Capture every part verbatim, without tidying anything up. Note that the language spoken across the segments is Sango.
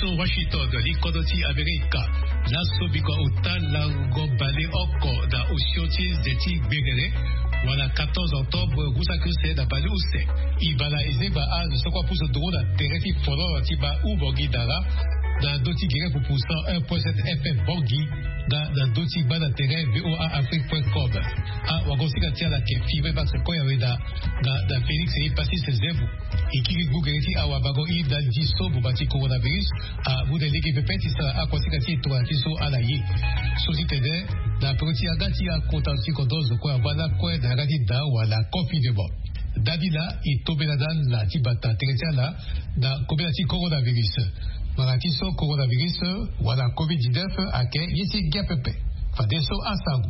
Washington, li kodro ti Amerika. Laso biko auta lango baleoko na osio ti nze ti gbengere, wala quatorze octobre, ngu saki use na baleuse. E bala e zengba azo so kue apusu nduru na tere ti fololo ti baa u Bangui Dara, na ndö ti gere pupu cent un point sept F M Bangui, nga na ndö ti gba na tere V O A Afrique point com. Awagosinga ti ala ayeke Fibre Max Koyaweda, nga na Félix Epasis Zembo. E kiri gbu gere ti awabango i ndali ti so boma ti coronavirus amu na e lege pepe ti sara akuasinga ti e tongana ti so ala ye. So ti tene na peko ti yanga ti akota ti kodro zo kue angba lakue na yanga ti da wala confinement. Dani laa e tombela na ala ti bata tere ti ala na kobela ti coronavirus. Mara ti so coronavirus wala covid dix-neuf ayeke ye ti ngia pepe. Fadeso asango.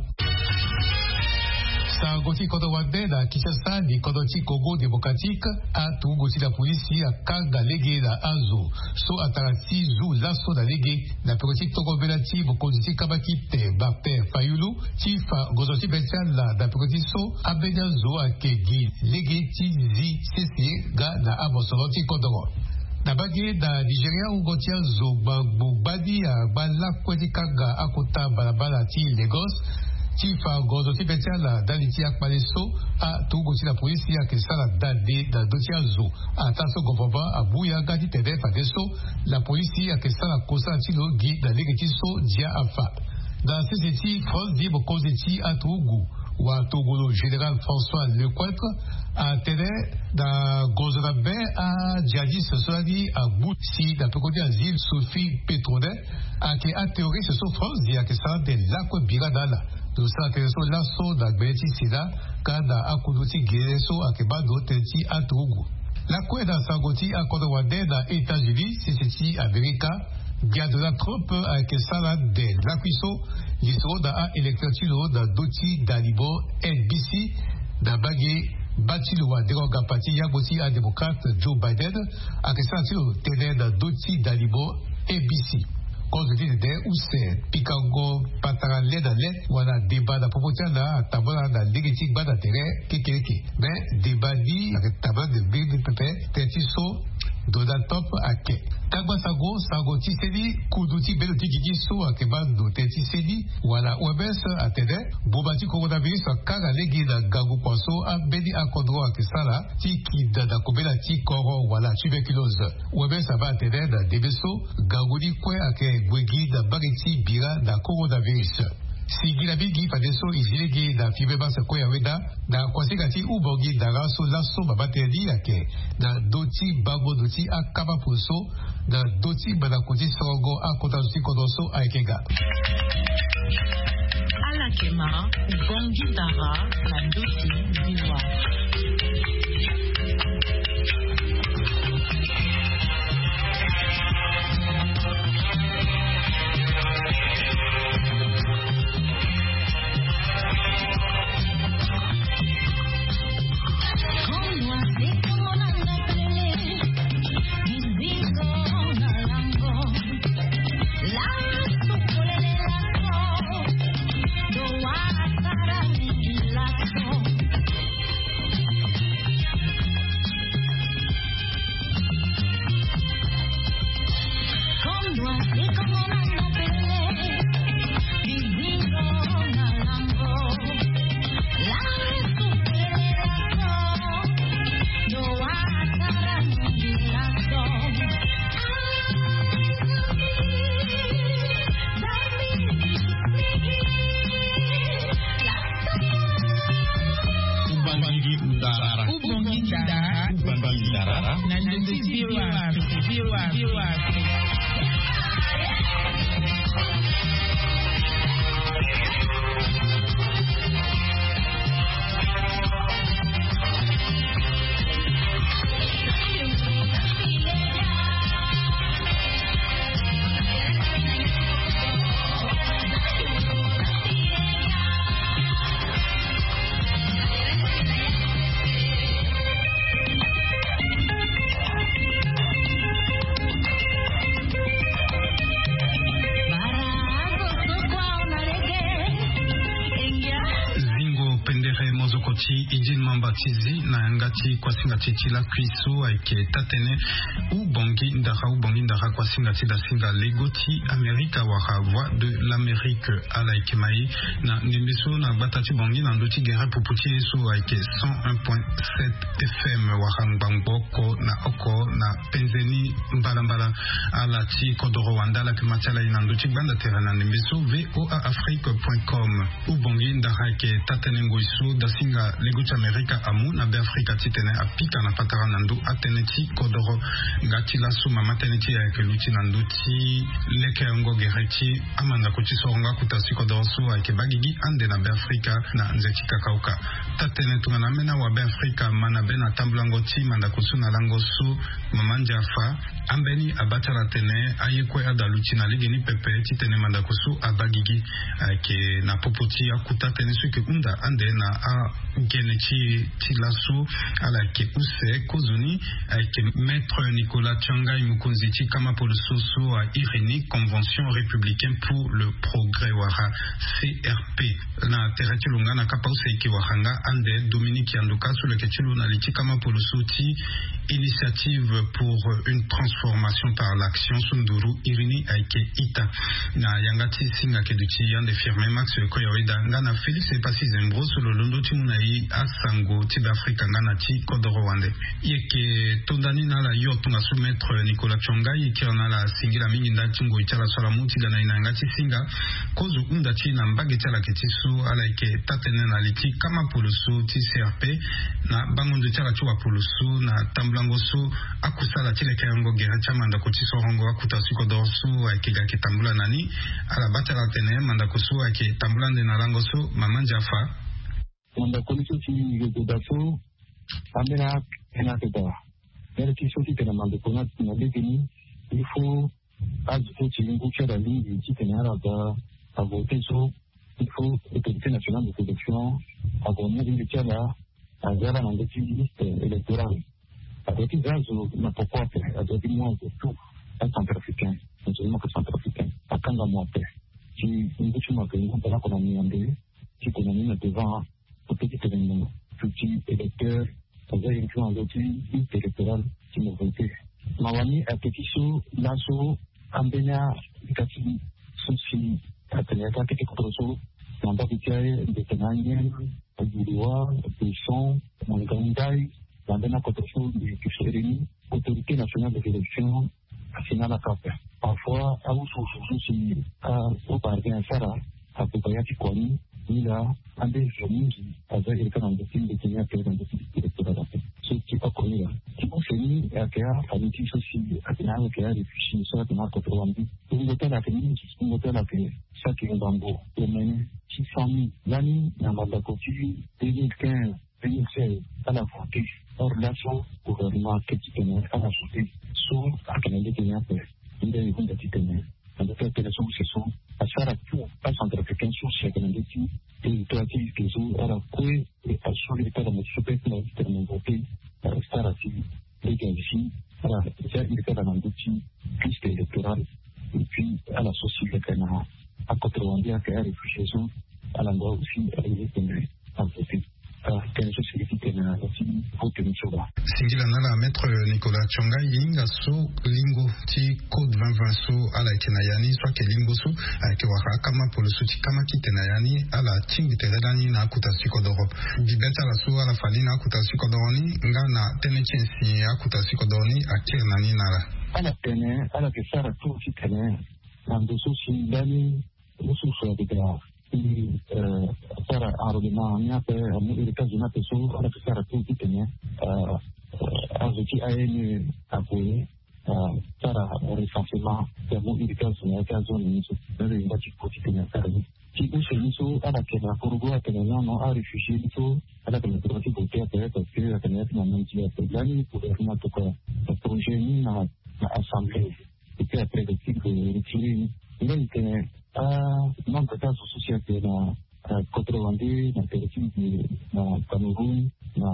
Sango ti kodro wande na Kinshasa, ni kodro ti Congo Démocratique, aturugu ti la polisi akanga lege na azo so atara ti zu laso na lege na peko ti tongo mbela ti mokonzi ti kambakite Martin Fayulu ti fa ngonzo ti be ti ala na peko ti so ambeni azo ayeke gi lege ti zi sese nga na amosoro ti kodoro. Na mbage na Nigeria, wungo ti azo gbagbo gbani angba lakue ti kanga akota balabala ti Lagos ti fa ngonzo ti be ti ala ndali ti akpale so aturugu ti la polisi ayeke sara dade na ndö ti azo. Ataa so gouvernement amu yanga titene fadeso la polisi ayeke sara kosara ti lo gi na lege ti so ndia afa. Na sese ti France, mokonzi ti aturugu watongolo général François Lecointre atene na gonzo na be ajihadiste so lani agbu si na peko ti asile Sophie Petronet ayeke aterroriste so France ayeke sara ande lakue bira na ala. Lo sara tënë so laso na gbele ti Sénat nga na akundu ti gere so ayeke baa ndo tënë ti aturugu. Lakue na sango ti akodro wande na États-Unis, sese ti Amerika, Gia Donald Trump ayeke sara ande lakui so lisoro na a-électeur ti lo na ndö ti dalibo N B C na mbage baa ti lo wa dengo ngapa ti yango ti adémocrate Joe Biden ayeke sara ti lo tënë na ndö ti dalibo N B C. Kozo ti tene use pikango patara le na le wala deba na popo ti ala atambula na lege ti gba na tere kekereke. Me deba ni ayeke tambula na mbeni pepe tënë ti so Donald Trump ayeke. Kagba sango, sango ti seni, kundu ti bendo ti gigi so ayeke baa ndo tënë ti seni wala O M S atene boma ti coronavirus akanga lege na ngangu kua so ambeni akodro ayeke sara ti kinda na kobela ti koro wala tuberculose. O M S abaa atene na ndembe so ngangu ni kue ayeke gue gi na mbage ti bira na coronavirus. Singila mingi fadeso e zi lege na Fibre Max Koyaweda na kuasinga ti Ubongi Dara so laso mama tënë ni ayeke na ndö ti bango ndo ti akama polo so na ndö ti mandako ti sorongo akota zo ti kodro so ayeke ga. Ala yeke ma Ubongi Dara na ndö ti V O A. Ubangui Dara. Ubangui Dara. Ubangui Dara. Na ndö ti V O A Afrique. V O A Afrique. Zingo pendere mozoko ti Idine. Amba ti zi na yanga ti kuasinga ti ti lakui so ayeke taa-tënë. Hubongi ndara, hubongi ndara, kuasinga ti dasinga lego ti Amerika wala Voix de l'Amérique. Ala yeke mai na ndembe so na gbata ti Bangui na ndö ti gere pupu ti e so ayeke cent un point sept F M wala ngbangbo oko na oko na penze ni mbalambala. Ala ti kodoro wande ala yeke ma ti ala ye na ndö ti gbanda tere na ndembe so V O A Afrique point com. Hubongi ndara ayeke taa-tënë ngoi so dasinga lego ti Amerika amu na Beafrika titene apika na patara na ndö atënë ti kodoro. Nga ti laso mama tënë ti e ayeke luti na ndö ti lekerengo gere ti amandako ti sorongo akuta ti kodoro so ayeke baa gigi ande na Beafrika na nze ti kakauka. Taa-tënë tongana ambeni awa Beafrika ma na be na tambulango ti mandako so na lango so, mama Ndiafa, ambeni abaa ti ala atene aye kue adaluti na legeni pepe titene mandako so abaa gigi. Ayeke na popo ti akuta tënë so eke hunda ande na agene ti ti laso. Ala yeke use kozoni ayeke Maître Nicolas Tiangai, mokonzi ti kama poloso so airi ni Convention Républicaine pour le Progrès wala C R P. Na tere ti lo nga na kapa use ayeke wara nga ande Dominique Yandoka so lo yeke ti lo na li ti kama poloso ti Initiative pour une transformation par l'action so nduru iri ni ayeke ita. Na yanga ti singa ayeke duti ande Firmin Max Koyaweda nga na Félix Epassi Zembro so lo londo ti mu na e asango ti Beafrika nga na ti kodoro wande. E yeke tonda ni na ala yo tongaso Maître Nicolas Tiangai, e kiri na ala singila mingi ndali ti ngoi ti ala so ala mu ti ga na e na yanga ti singa. Kozo hunda ti e na mbage ti ala ayeke ti so ala yeke taa-tënë na li ti kama poloso ti C R P na bango nze ti ala ti wapoloso na tambulango so akusala ti lekerengo gere ti amandako ti sorongo akuta ti kodoro so ayeke ga ayeke tambula na ni. Ala baa ti ala atene mandako so ayeke tambula ande na lango so, mama Ndiafa. Mandako ni so si e goda so, ambeni atene ayeke daa. Mbeni ti so titene mandako ni ati na legeni, il faut azo so ti ngu ti ala lingbi titene ala ga avote so, il faut Autorité Nationale de Sélection ague amu lingbi ti ala, aza ala na ndö ti liste électorale. Ague ti za azo na poko ape, ague ti mu azo tout acentrafricain, azo ni mo yeke centrafricain, akanga mo ape. Ti ngu ti mo ayeke ngu bale oko na miambe, titene ni na devant, ape titene mo duti électeur, aza inclus na ndö ti liste électorale ti mo vote. Mawa ni ayeke ti so laso ambeni a-ita ti so si atene ayeke akete kodro so na mbage ti aye, mbi tene anyen, Guilois, Besson, Mangaundai, na ambeni akodro so mbi yeke sere ni, Autorité Nationale des Élections asi na ala kapa. Parfois awusuwusu so si azo parvient asara, abuba ya ti kua ni, ni laa ande zo mingi aza iri kâ na ndö ti mbeti ni ape na ndö ti électoral ape. So ti oko ni laa ti use ni ayeke afamille ti so si atene ayeke aréfugié so atene akodro wande. Wungo ti ala ayeke mingi, wungo ti ala ayeke saki ngbangbo omene six cent mille. Lani na mandako ti deux mille quinze, deux mille seize, ala voté. Or laso gouvernement ayeke titene ala voté. So ayeke na lege ni ape. Nde e hunda titene na ndö ti atënë so use so, asara tout acentrafricain so si ayeke na ndö ti territoire ti liste so, ala kue e assurer ti ala mo ti so peut ti na liste na mo voté. Ala sara ti lege azi si ala za iri ti ala na ndö ti liste électorale. Et puis ala so si leke na akodro wande ayeke aréfugié so, ala ndoit aussi aye tene avote. Tënë so si li ti tene na ndö ti vote ni so laa. Singila na ala Maître Nicolas Tiangai, e hinga so lingo ti code vingt vingt so ala yeke na ya ni so ayeke lingo so ayeke wara akama poloso ti kama kite na ya ni, ala tingbi tere lani na akuta ti kodoro. Bibe ti ala so ala fa ni na akuta ti kodoro ni nga na tënë ti nyen si akuta ti kodoro ni akiri na ni na ala. Ala tene ala yeke sara tout titene na ndo so si lani Mosusu ayeke daa ti, eh, sara enrôlement ni ape, amu héritage ni ape so ala yeke sara tout titene, eh, eh, azo ti A N E ague, eh, sara recensement ti amu héritage na ya ti azone ni so. Ni lo yenda ti ko titene asara ni. Ti use ni so ala yeke na korogo atene non non, aréfugié ni so ala yeke na droit ti voter ape parce que ala yeke na ya ti na mandi ape. Lani gouvernement atokua projet ni na, na assemblée. Et puis après, le titre de retiré. Nga e tene amembre ti azo so si ayeke na, eh, kodro wande, na tere ti, na Cameroun, na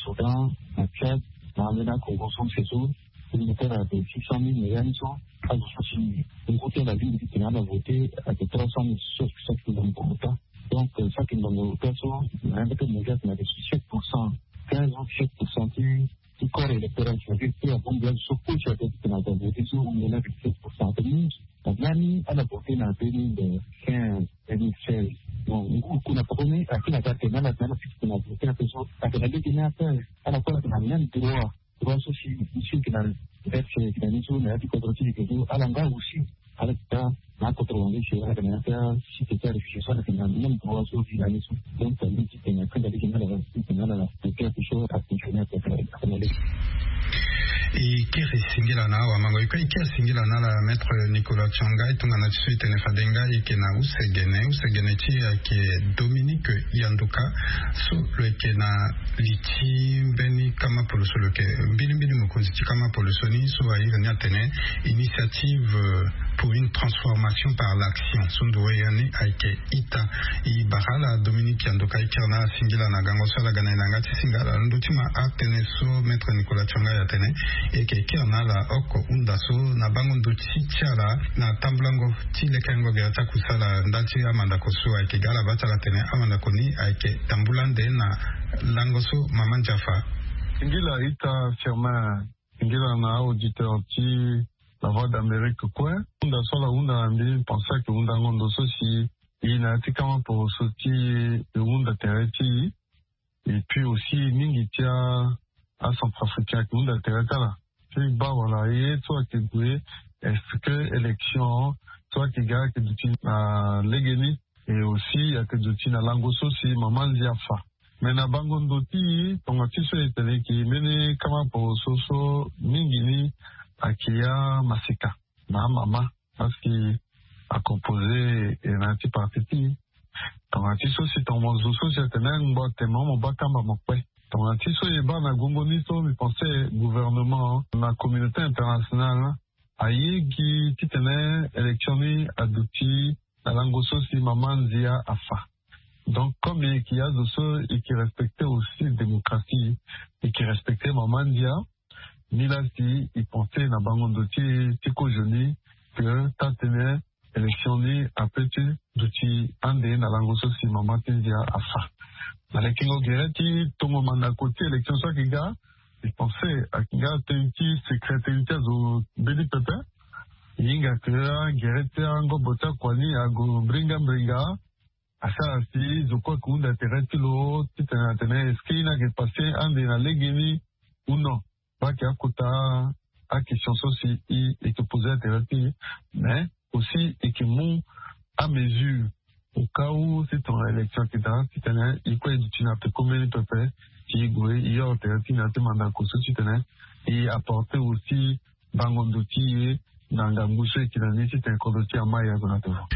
Soudan, na Tchad, na ambeni akongo so use so, e tene ayeke six cent mille na ya ni so. Azo so si ngu ti ala alingbi ti tene ala voté ayeke trois cent mille so, so ayeke na ngu ota. Donc, euh, ça qui me le cas so, na un peu de médias na de sept pour cent, quinze ou sept pour cent qui, qui corps électoral, c'est-à-dire qui a bon bien so pour ça de na de so on est là de sept pour cent de nous. Nani ala voté na deux mille quinze, deux mille seize. Donc, on a promis à qui la date na la na la na voté à personne à la date na ala quoi na même droit. Droit so si ici que na date que na ni so na di contre ti que ala nga aussi. Ala ta na contre on dit c'est ala na ta si c'est ça réfléchir ça na même droit so si na ni so. Donc ça dit que na que la date na la na la na quelque chose à continuer à faire. E kiri singila na awa mango e kue e kiri singila na ala maître Nicolas Tshianga e tongana ti so e tene fade nga e yeke na use gene use gene ti e ayeke Dominique Yanduka so lo yeke na li ti mbeni kama poloso lo yeke mbilimbili mokonzi ti kama poloso ni so airi ni atene initiative pour une transformation par l'action so nduru ya ni ayeke ita. E bara ala Dominique Yanduka e kiri na ala singila na gango so ala ga na e na yanga ti singa ala londo ti ma atene so maître Nicolas Tshianga atene e yeke kiri na ala oko hunda so na bango ndo ti ti ala na tambulango ti lekerengo gere ti akusala nda ti amandako so ayeke ga ala baa ti ala tene amandako ni ayeke tambula ande na lango so mama ndia afa. Singila ita Firmin. Singila na auditeur ti La Voix d'Amérique kue. Hunda so ala hunda na mbi mbi pense ayeke hundango ndo so si e na ya ti kama poroso ti e e hunda tere ti e. Et puis aussi mingi ti a acentrafricain ayeke hunda tere ti ala ti baa wala ye so ayeke gue est-ce que élection so ayeke ga ayeke duti na legeni? Et aussi ayeke duti na lango so si mama ndia afa. Mais na bango ndo ti e tonga ti so e tene e yeke mbeni kama poroso so mingi ni ayeke ya masika na amama parce que a composé e na ya ti parti ti e. Tongana ti so si tongana mo zo so si atene ngbo atene mo baa kamba mo kpe. Tongana ti so e baa na gongo ni so mbi pense gouvernement na communauté internationale aye gi titene élection ni aduti na lango so si mama ndia afa. Donc comme e yeke azo so e yeke respecter aussi démocratie, e yeke respecter mama ndia. Ni laa si e pense na bango ndo ti ti kozo ni que taa tene élection ni ape ti duti ande na lango so si mama ti ndia afa. Na lekengo gere ti tongo mandako ti élection so ayeke ga e pense ayeke nga tënë ti secret tënë ti azo mbeni pepe. E hinga que agere ti angobo ti akua ni ague mbringa mbringa. Asara si zo kue ayeke hunda tere ti lo titene atene est-ce que e ni ayeke passe ande na legeni ou non? Baa ayeke akota akestion so si e yeke pose atere ti e. Mais aussi e yeke mu amesure au cas où si tongana élection ayeke daa titene e kue e duti na peko mbeni pepe si e gue e horo tere ti na ya ti mandako so titene e apporter aussi bango ndo ti e na ngangu so e yeke na ni titene kodro ti e amai azo na devant.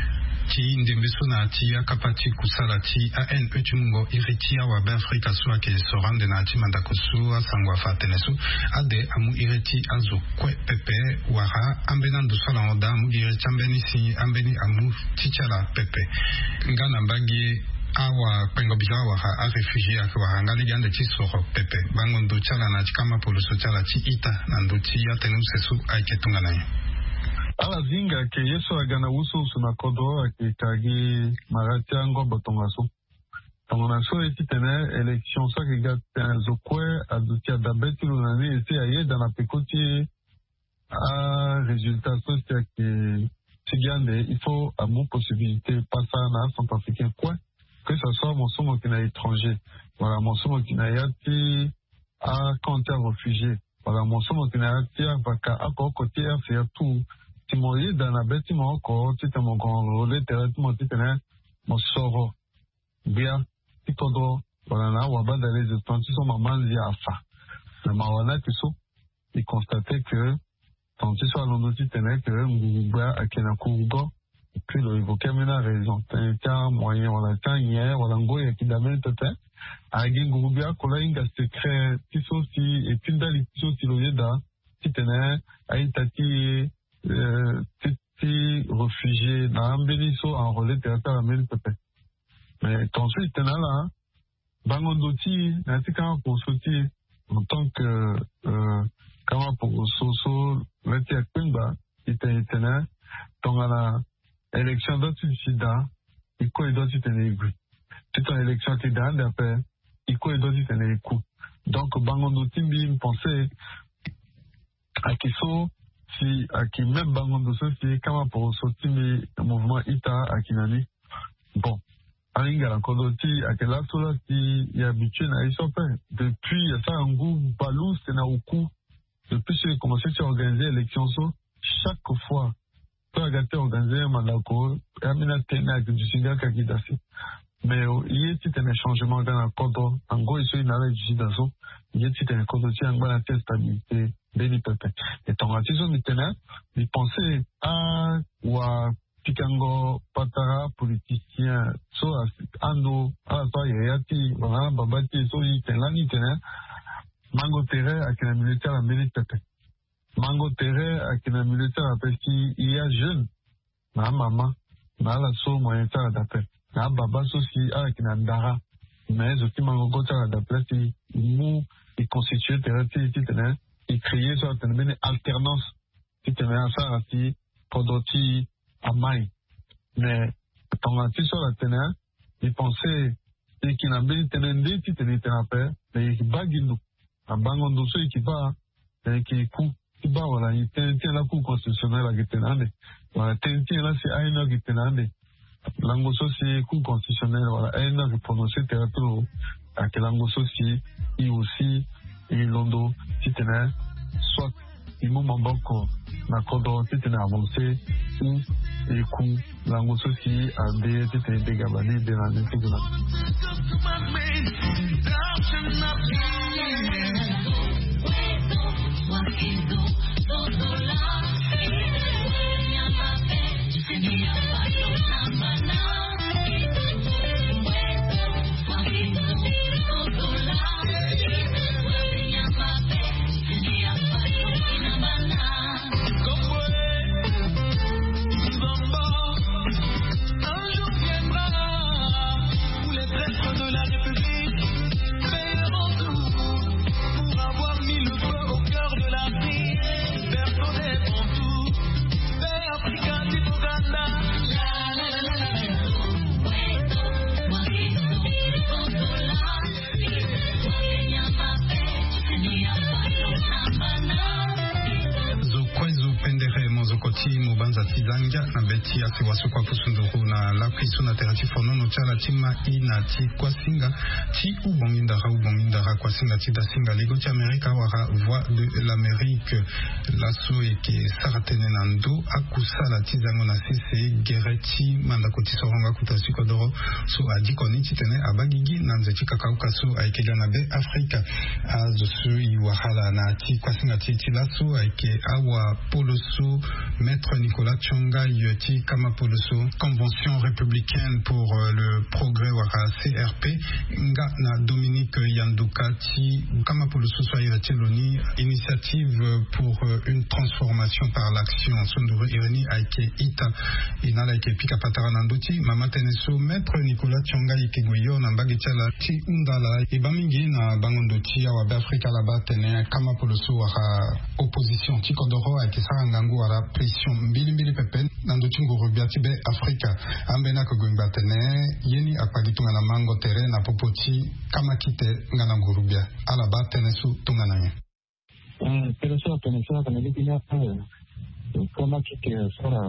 Ti ndembe so na ya ti akapa ti kusala ti A N E ti mungo iri ti awabe afrika so ayeke soro ande na ya ti mandako so asango afa atene so ade amu iri ti azo kue pepe wala ambeni ando so ala hon daa amu gi iri ti ambeni si ambeni amu ti ti ala pepe. Nga na mbage awakpengo biza wala aréfugié ayeke wara nga lege ande ti soro pepe bango ndo ti ala na ya ti kama poloso ti ala ti ita na ndo ti atënë use so ayeke tongana nyen? Ala zinga ayeke ye so aga na wusuwusu na kodro ayeke ka gi mara ti angobo tongaso. Tongana so e titene élection so ayeke ga titene zo kue aduti adabe ti lo na ni e si ayeda na peko ti arésultat so si ayeke ti gi ande il faut amu possibilité pasa na acentrafricain kue. Que ça soit mo so mo yeke na étranger wala mo so mo yeke na ya ti acamp ti aréfugié wala mo so mo yeke na ya ti avaka oko oko ti R C A tout. Si mo yeda na be ti mo oko titene mo gue enrôler tere ti mo titene mo soro gbia ti kodro wala na awabadale zo tonga ti so mama ndia afa. Na mawa ni ayeke so e constate que tonga ti so alondo titene que nguru gbia ayeke na kurugo. Et puis lo évoquer ambeni araison tënë ti amoyen wala ti anyen wala ngoi ayeke daa mbeni pepe. Agi nguru gbia oko laa ahinga secret ti so si et puis ndali ti so si lo yeda titene a-ita ti e ti ti réfugié na ambeni so enrôler tere ti ala mbeni pepe. Mais tongaso e tene na ala bango ndo ti e na ya ti kanga poroso ti e en tant que kanga poroso so la ti akpengba e tene e tene tongana élection doit ti duti daa e kue e doit ti tene e gue. Élection ti da ande ape. E kue e dua titene e ku. Donc bango ndo ti mbi, mbi pense ayeke so si ayeke même bango ndo so si kama poroso ti mbi mouvement ita ayeke na ni. Bon, ahinga na kodro ti e ayeke laso la si e habitue na ye so ape. Depuis asara ngu baleuse na oku. Depuis so e commence ti organiser élection so, chaque fois so aga ti organiser mandako, ambeni atene ayeke duti nga kaki dasi. Mais ye titene changement aga na kodro, na ngoi so e na ala e duti daa so, ye titene kodro ti e angba na ti instabilité mbeni pepe. E tongana ti so mbi tene, mbi pense awapikango patara politicien so asi ando ala so ayaya ti e wala ababa ti e so e tene lani e tene mango tere ayeke na milieu ti ala mbeni pepe. Mango tere ayeke na milieu ti ala ape si e ya jeune, na amama, na ala so moyen ti ala daa ape, na ababa so si ala yeke na ndara. Mais zo ti mango go ti ala daa ape la si e mu, e constitue tere ti e titene e créer so atene mbeni alternance titene asara si kodro ti e amai. Mais tongana ti so ala tene, e pense e yeke na mbeni tënë nde titene e tene ape. Mais e yeke baa gi ndo na bango ndo so e yeke baa, e yeke ku ti baa wala tënë ti nyen la Cour constitutionnelle ayeke tene ande, wala tënë ti nyen la si A N O ayeke tene ande. Lango so si Cour constitutionnelle wala A N O ayeke prononcer tere ti lo, ayeke lango so si e aussi e londo titene soit e mu maboko na kodro titene avance ou e ku lango so si ade titene e dega bani de na ni ti gue na ni. Pour avoir mis le feu au cœur de l'Afrique, berceau des Bantous, paix africaine d'Ouganda. Zo kue zo pendere mozoko ti mobanza ti zangia na be ti asewa so kua kusunduru na lakui so na tere ti fonono ti ala ti ma i na ti kuasinga ti ubongi ndara ubongi ndara kuasinga ti dasinga ligo ti Amerika wala Voix de l'Amérique. Laso e yeke sara tënë na ndö akusala ti zango na sese gere ti mandako ti soronga kota ti kodoro so adiko ni titene abaa gigi na nze ti kakauka so ayeke ga na be Afrika. Azo so e wara ala na ti kuasinga ti e ti laso ayeke awapolo so Maître Nicolas Tsongaï ti kama poloso Convention républicaine pour, euh, le progrès wala C R P, nga na Dominique Yanduka ti kama poloso so airi ti lo ni Initiative pour, euh, une transformation par l'action. So nduru iri ni ayeke ita. E na ala yeke pika patara na ndö ti mama tënë so Maître Nicolas Tsongaï yeke gue yo na mbage ti ala ti hunda ala. E baa mingi na bango ndo ti awabe Afrika ala baa atene kama poloso wala opposition ti kodoro ayeke sara ngangu wala pression mbilimbili pepe na ndö ti nguru-gbia ti be Afrika. Ambeni ayeke gue ngba atene ye ni akpali tongana mango tere na popo ti kamakite nga na nguru-gbia. Ala baa tënë so tongana nyen? Eh, tënë so atene so atene lege ni ape, eh, kamakite asara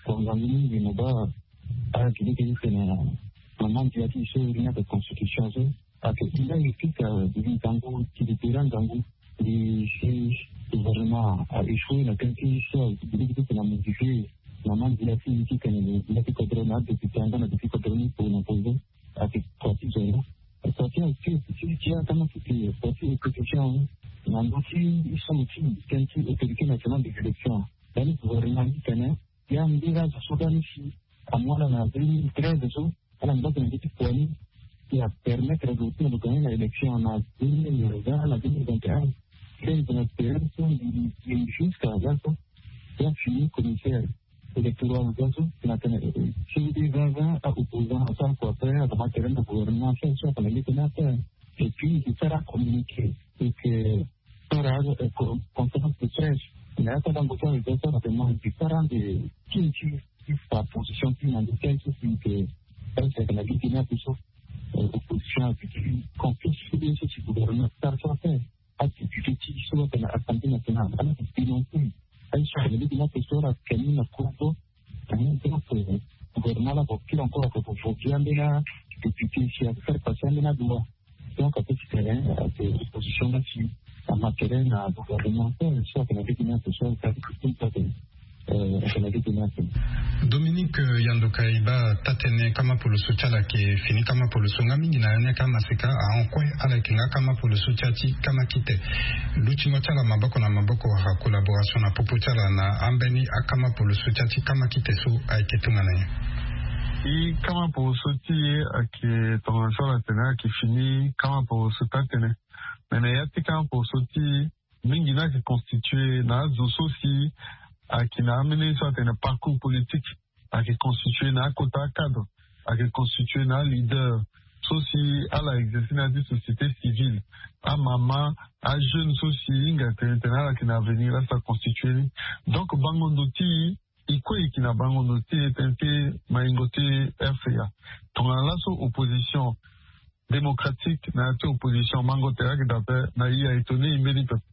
konzangi mingi mo baa ayeke lege ni tene na mama ndia ti e so iri ni ayeke constitution so. Ake ila e fika, eh, ngangu ti libéra ngangu. Ndi si gouvernement a échoué na tënë ti so biliki ti tene a modifié na mandia ti ti tene na bila ti kodro na adéputé anga na député kodro ni po na pozo. Ake parti zero. Parti ake ti ti atama ti ti parti opposition na ndo ti somo ti tënë ti autorité nationale des élections. Dani gouvernement ti tene ya mbira zo so dani si amu ala na deux mille treize so, ala ngba tene ti kua ni ti a permettre lo ti na lo gagner na élection na deux mille vingt na deux mille vingt et un. Seni tene tere so mbi mbi jusqu'à là so ya fini commissaire électoral là so na tene, eh, eh, si deux mille vingt a opposant asara kua pe agama tere na gouvernement so so atene leke ni ape. Et puis mbi sara communiqué et que sara, eh, co-, conférence de presse. Mais ata dango so ayeke sara tene mbi sara nde ti ti ti fa position ti na nde ti aye so si yeke presque na gi ti ni ape so. Opposition aduti confiance so bien so si gouvernement asara so afaire. Adéputé ti so atene assemblée nationale ala ti dénoncer aye so atene lege ni ape so ala kani na cour d'eau. Donc gouvernement ala ko kiri encore ako ko voter ambeni adéputé si ako faire passer ambeni adua. Donc ape ti tene ake opposition la si amatele na gouvernement so atene lege ni ape so atene lege ni ape. Dominique Yandoka e baa taa-tënë, kama poloso ti ala ayeke fini, kama poloso nga mingi na ya ni ayeke amaseka ahon kue. Ala yeke nga kama poloso ti ya ti kama kite. Lutingo ti ala maboko na maboko wala collaboration na popo ti ala na ambeni akama poloso ti ya ti kama kite so ayeke tongana nyen? I kama poloso ti e ayeke tongana so ala tene ayeke fini kama poloso taa-tënë. Me na ya ti kama poloso ti e mingi ni ayeke constitué na azo so si ayeke na ambeni so atene parcours politique, ayeke constitué na akota acadre, ayeke constitué na aleader so si ala exercer na ya ti société civile, amama, ajeune so si hinga tene tene ala yeke na avenir la so aconstitué ni. Donc bango ndo ti e e kue e yeke na bango ndo ti e tënë ti maingo ti rca. Tongana laso opposition démocratique na ya ti opposition mango tere ayeke daa ape na e a étonné e mbeni pepe.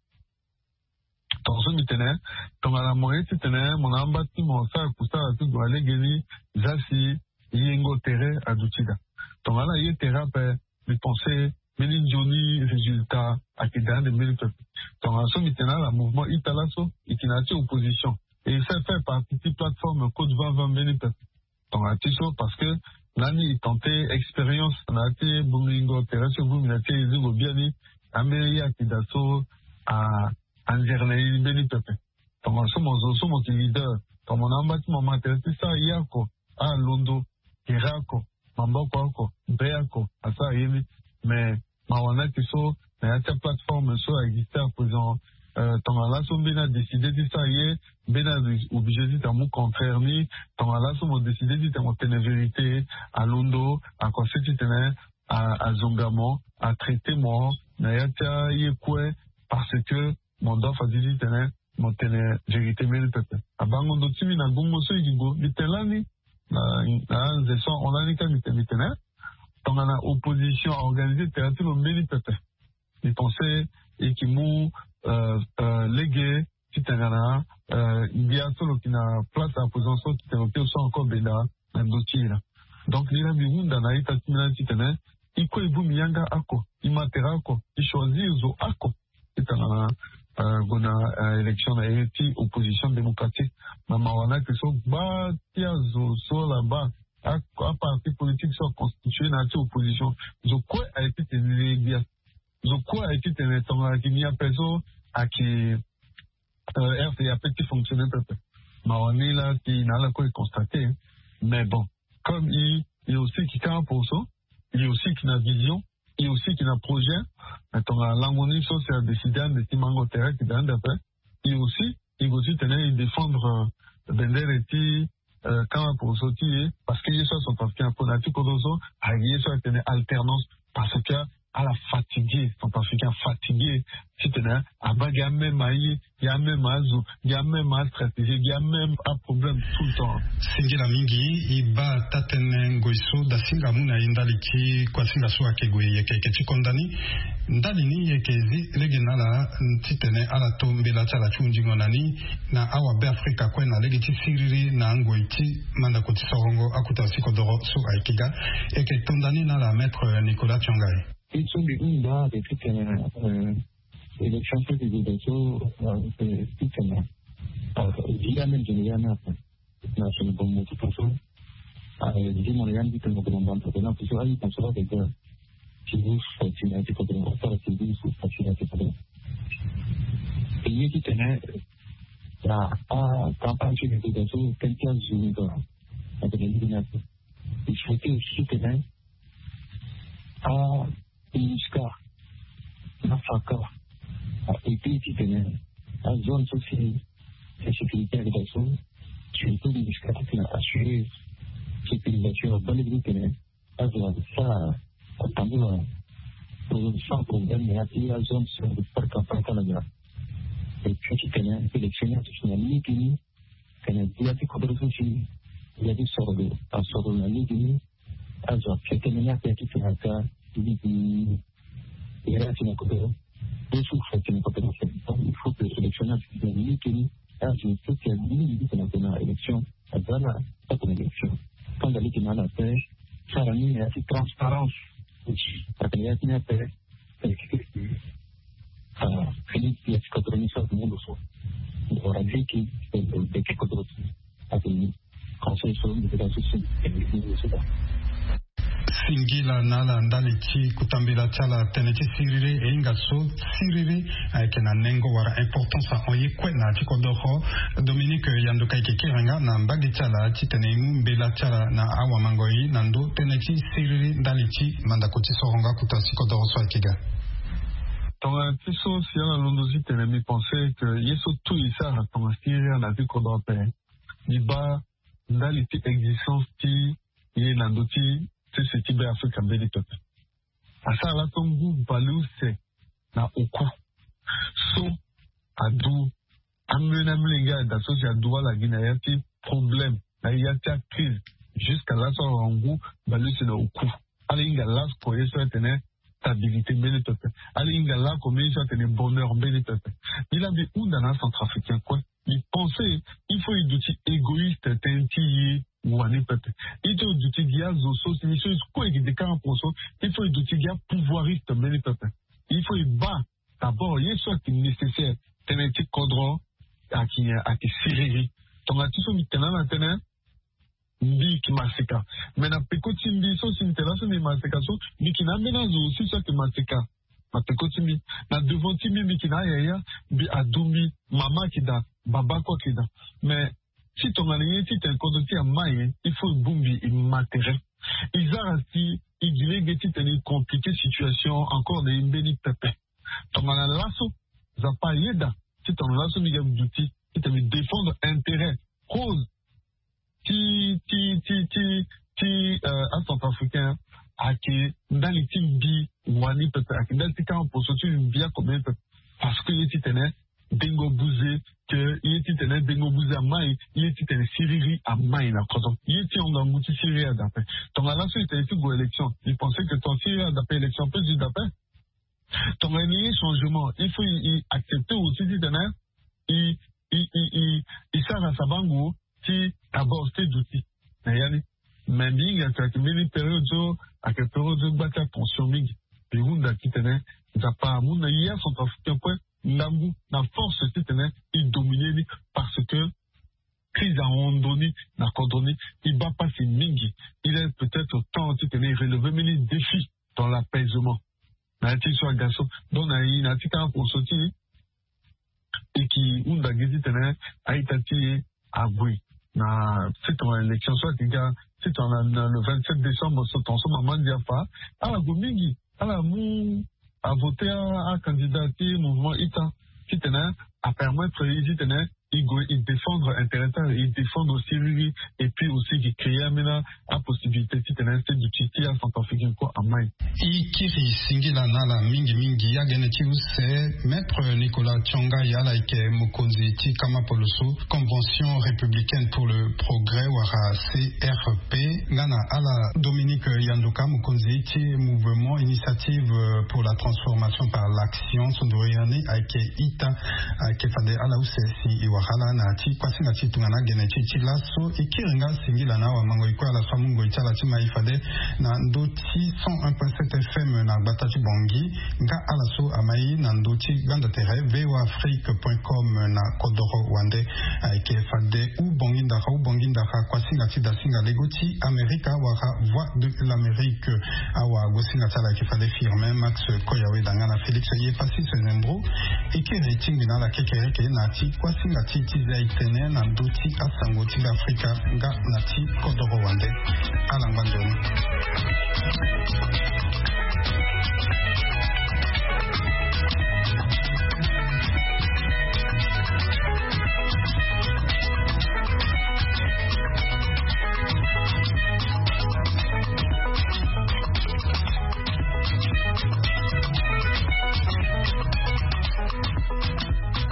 Tongaso mbi tene tongana mo ye titene mo na amba ti mo sara kusala ti gue na legeni, za si yengo tere aduti daa. Tongana ye tere ape, mbi pense mbeni nzoni résultat ayeke daa ande mbeni pepe. Tongana so mbi tene ala mouvement ita laso e yeke na ya ti opposition e sara faire partie ti plateforme code vingt vingt mbeni pepe. Tongana ti so parce que lani e tenter expérience na ya ti bongingo tere so e bongbi na ya ti ezingo biani, ambeni ye ayeke daa so anzere na e mbeni pepe. Tongana so mo zo so mo yeke leader, tongana mo na amba ti mo ma tere ti sara ye oko, alondo, tere oko, maboko oko, be oko asara ye ni. Mais mawa ni ayeke so na ya ti aplateforme so a existe à présent, tongana laso mbeni adécide ti sara ye, mbeni aoblige ti tene amu contraire ni. Tongana laso mo décide ti tene mo tene vérité, alondo aconse ti tene azonga mo, atraité mo na ya ti aye kue, parce que mo doit fadi ti tene mo tene vérité mbeni pepe. Abango ndo ti mbi na gongo so e gi gue mbi tene lani na anze so ahon lani kâ mbi tene mbi tene tongana opposition aorganisé tere ti lo mbeni pepe. Mbi pense e yeke mu lege titene na ngia so lo yeke na place à présent so titene lo kiri so encore benda na ndo ti e laa. Donc ni laa mbi hunda na a-ita ti mbi lani titene e kue e bongbi yanga oko, e ma tere oko, e choisir zo oko titene na gue na élection na ye ti opposition démocratique. Na mawa ni ayeke so gba ti azo so ala baa aparti politique so aconstitué na ya ti opposition, zo kue ayeke ti tene e gbia. Zo kue ayeke ti tene tongana ayeke ni ape so ayeke rca ape ti fonctionner pepe. Mawa ni laa si na ala kue e constaté. Mais bon, comme e e aussi yeke kâ apo so, e aussi yeke na vision, e aussi yeke na projet. Mais tongana lango ni so si adécide ande ti mango tere ayeke daa ande ape, e aussi e gue titene e défendre bendere ti kâ apo so ti e. Parce que ye so acentrafricain apo na ya ti kodro so ayeke ye so atene alternance. Parce que ala fatigué, centrafricain afatigué titene abaa gi ameme aye, gi ameme azo, gi ameme astratégie, gi ameme aproblème tout le temps. Singila mingi. E baa taa-tënë ngoi so dasinga amu na e ndali ti kuasinga so ayeke gue yeke yeke ti konda ni. Ndali ni e yeke zi lege na ala titene ala to mbela ti ala ti hundingo na ni na awabe afrika kue na lege ti siriri na angoi ti mandako ti sorongo akota ti kodoro so ayeke ga. E yeke to nda ni na ala maître Nicolas Tiongai. Ye so mbi hunda ayeke titene élection so mbi gue daa so titene gi ande nzoni ya ni ape. Na tene bongo mo ti tongaso. Gi mo na ya ni titene mo gue na mbanda tene ape so aye tongaso ayeke ga. Ti gu so ti na ya ti kodoro asara ti gu so ti na ya ti kodoro. E ye titene na acampagne so mbi gue daa so tënë ti azo ni ga. Atene lege ni ape. Il faut ti aussi titene a MINUSCA na faka a aidé titene azone so si insécurité ayeke daa so, surtout MINUSCA titene assurer sécurisation abaa lege titene azo asara atambula sans problème na ya ti azone so ayeke sara campagne ti ala ga. Et puis titene élection ni aduti na lege ni. Tene gbia ti kodro so si gbia ti soro lo asoro lo na lege ni. Azo akia tënë ni ape akitene ata ligi. Era ti na kodoro. Yesu fa ti na kodoro. Il faut que électionnaire ti na ligi ni azo ti na ligi ti na élection. Azala tako na élection. Kanda ligi na ala ape. Sara ni ya ti transparence. Akene ya ti ni ape. Ah, Félix ya ti kodoro ni so azo ni lo so. Ora ligi. Beke kodoro ti. Ate ni. Singila na ala ndali ti kota mbela ti ala tënë ti siriri e hinga so siriri ayeke na nengo wala importance ahon ye kue na ya ti kodoro. Dominique Yanduka ayeke kiri nga na mbage ti ala titene e mu mbela ti ala na awamango-i na ndö tënë ti siriri ndali ti mandako ti soronga kota ti kodoro so ayeke ga. Tongana ti so si ala londo titene mbi pense que ye so tout e sara tongana siriri na ya ti kodoro ape. Mbi baa ndali ti existence ti ye na ndö ti sese ti Be Afrika mbeni pepe. Asara laso ngu baleuse na oku so adu amolenge na molenge ada so si adu ala gi na ya ti problème na ya ti acrise. Jusqu'à laso awara ngu baleuse na oku. Ala hinga laso ko ye so atene stabilité mbeni pepe. Ala hinga laso mbeni so atene bonheur mbeni pepe. Mbi la mbi hunda na acentrafricain kue. Mbi pense il faut e duti égoïste tënë ti ye wani pepe. Il faut e duti gi azo so si ni so e kue e gi de quarante pour cent. Il faut e duti gi apouvoiriste mbeni pepe. Il faut e baa d'abord ye so ayeke nécessaire. Tënë ti kodro ayeke ayeke siriri. Tongana ti so mbi tene na tënë mbi yeke maseka. Mais na peko ti mbi so si mbi tene laso mbi yeke maseka so mbi yeke na ambeni azo aussi so ayeke maseka. Na peko ti mbi na devant ti mbi mbi yeke na ayaya. Mbi adu mbi mama ayeke daa, baba kue ayeke daa. Mais ti tongana ye ti tene kodro ti e amai, il faut e bongbi e ma tere. E zara si e gi lege titene e compliqué situation encore na e mbeni pepe. Tongana laso Nzapa ayeda ti tongana laso mbi ga mbi duti titene mbi défendre intérêt cause ti ti ti ti ti acentrafricain ayeke ndali ti mbi wani pepe, ayeke ndali ti quarante pour cent ti mbi akombe pepe. Parce que ye titene dengo buze, que ye titene dengo buze amai, ye titene siriri amai na kodro. Ye ti hon ngangu ti siriri ada ape. Tongana laso e tene ti gue élection, e pense que ton siriri ada ape, élection ape zi da ape. Tongana e ye changement, il faut e accepter aussi titene e e e e e sara sabango ti d'abord ti duti na ya ni. Mais mbi hinga ti ayeke mbeni période so ayeke période so gba ti atension mingi. Mbi hunda titene Nzapa amu na ye acentrafricain kue ngangu na force titene e dominer ni, parce que crise ahon ndo ni na kodro ni. E baa pasi mingi. Il est peut-être temps titene e relever mbeni défi dans l'apaisement. Na ya ti so aga so. Donc na e na ya ti quarante pour cent ti e e yeke hunda gi titene a-ita ti e ague na sitongana élection so ayeke ga sitongana na le vingt-sept décembre so tonga so mama ndia afa. Ala gue mingi, ala mu avote acandidat ti mouvement ita titene apermettre e titene e gue e défendre intérêt ti ala, e défendre siriri. Et puis aussi e créer ambeni apossibilité titene ti duti ti acentrafricain kue amai. E kiri singila na ala mingi mingi. Agene ti use, Maître Nicolas Tionga, ala yeke mokonzi ti kama poloso Convention républicaine pour le progrès wala C R P, nga na ala Dominique Yanduka, mokonzi ti Mouvement Initiative pour la transformation par l'action. So nduru ya ni ayeke ita. Ayeke fade ala use si e wara ala na ya ti kuasinga ti tongana agene ti e ti laso. E kiri nga singila na awamango-i kue ala so amu ngoi ti ala ti mai fade na ndö ti cent un point sept F M na gbata ti Bangui, nga ala so amai na ndö ti gbanda tere V O A Afrique point com na kodoro wande. Ayeke fade hubongi ndara hubongi ndara kuasinga ti dasinga lego ti Amerika wala Voix de l'Amérique. Awagosinga ti ala ayeke fade Firmin Max Koyaweda nga na Félix Yefasis Nembro. E kiri tingbi na ala kekereke na ya ti kuasinga ti ti zia e tene na ndö ti asango ti Be Afrika nga na ti kodoro wande. Ala ngba nzoni.